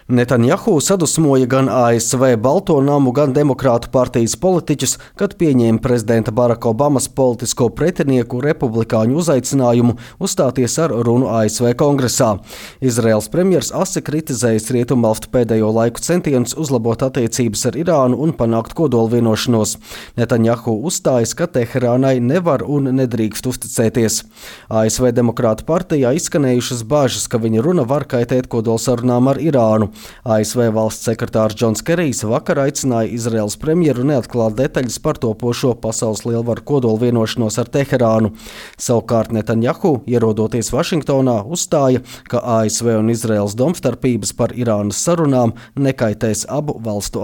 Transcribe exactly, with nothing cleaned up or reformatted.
Netanjahu sadusmoja gan A S V Balto namu, gan Demokrātu partijas politiķus, kad pieņēma prezidenta Baraka Obamas politisko pretinieku republikāņu uzaicinājumu uzstāties ar runu A S V kongresā. Izraels premjers asi kritizējis Rietumvalstu pēdējo laiku centienus uzlabot attiecības ar Irānu un panākt kodolvienošanos. Netanjahu uzstājas, ka Teherānai nevar un nedrīkst uzticēties. A S V Demokrātu partijā izskanējušas bāžas, ka viņa runa var kaitēt kodolsarunām ar Irānu. A S V valsts sekretārs Džons Kerijs vakar aicināja Izraels premjeru neatklāt detaļas par topošo pasaules lielvaru kodolvienošanos ar Teherānu. Savukārt Netanjahu, ierodoties Vašingtonā, uzstāja, ka A S V un Izraels domstarpības par Irānas sarunām nekaitēs abu valstu